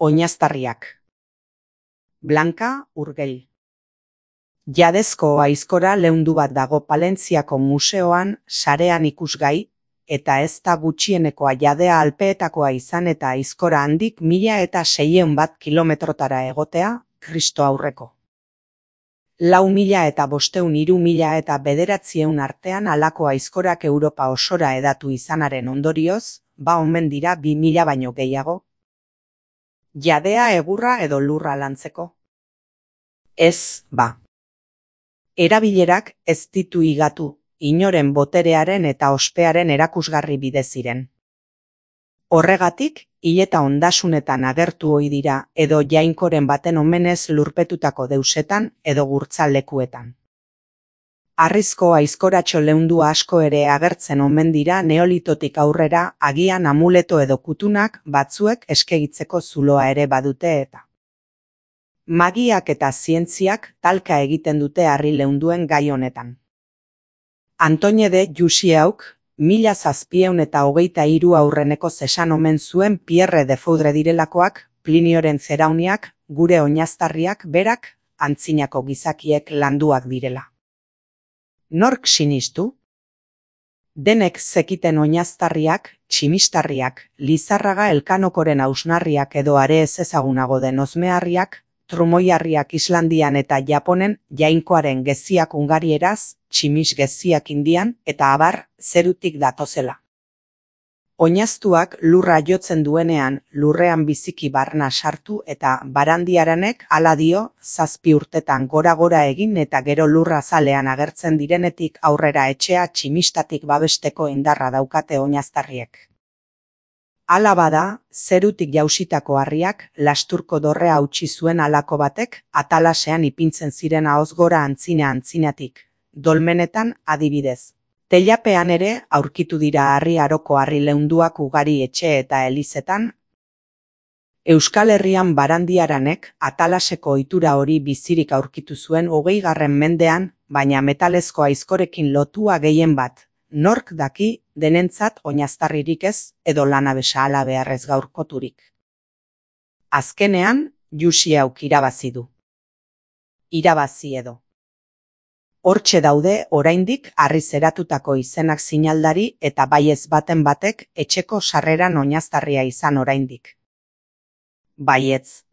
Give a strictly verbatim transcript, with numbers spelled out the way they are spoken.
Oinaztarriak. Blanka Urgell. Jadezko aizkora leundu bat dago Palentziako museoan sarean ikusgai, eta ez da gutxienekoa jadea alpeetakoa izan eta aizkora handik mila eta seiehun bat kilometrotara egotea, Kristo aurreko. Lau mila eta bosteun hiru mila eta bederatzieun artean halako aizkorak Europa osora hedatu izanaren ondorioz, ba omen dira bi mila baino gehiago. Jadea egurra edo lurra lantzeko. Ez, ba. Erabilerak ez ditu higatu, inoren boterearen eta ospearen erakusgarri bide ziren. Horregatik, hileta ondasunetan agertu ohi dira edo jainkoren baten omenez lurpetutako deusetan edo gurtzalekuetan. Harrizko aizkoratxo leundu asko ere agertzen omen dira neolitotik aurrera agian amuleto edo kutunak batzuek eskegitzeko zuloa ere badute eta. Magiak eta zientziak talka egiten dute harri leunduen gai honetan. Antoine de Jussiauk, mila zazpieun eta hogeita hiru aurreneko zesan omen zuen Pierre de Foudre direlakoak, Plinioren zerauniak, gure oinaztarriak berak, antzinako gizakiek landuak direla. Nork sinistu? Denek zekiten oinaztarriak, tximistarriak, Lizarraga Elkanokoren hausnarriak edo are ez ezagunago den ozmeharriak, trumoiarriak Islandian eta Japonen, jainkoaren geziak Hungarieraz, tximis geziak Indian eta abar zerutik datozela. Oinaztuak lurra jotzen duenean lurrean biziki barna sartu eta barandiaranek hala dio zazpi urtetan gora-gora egin eta gero lurra zalean agertzen direnetik aurrera etxea tximistatik babesteko indarra daukate oinaztarriek. Hala bada, zerutik jausitako harriak lasturko dorrea hautsi zuen halako batek atalasean ipintzen ziren ahoz gora antzina-antzinatik, dolmenetan adibidez. Teilapean ere aurkitu dira harri aroko harri leunduak ugari etxe eta elizetan. Euskal Herrian barandiaranek atalaseko ohitura hori bizirik aurkitu zuen hogeigarren mendean, baina metalezko aizkorekin lotua gehien bat. Nork daki denentzat oinaztarririk ez edo lanabesa hala beharrez gaurkoturik. Azkenean, Jussiauk irabazi du. Irabazi edo. Hortxe daude oraindik harri zeratutako izenak sinaldari eta baiez baten batek etxeko sarreran oinaztarria izan oraindik. Baietz.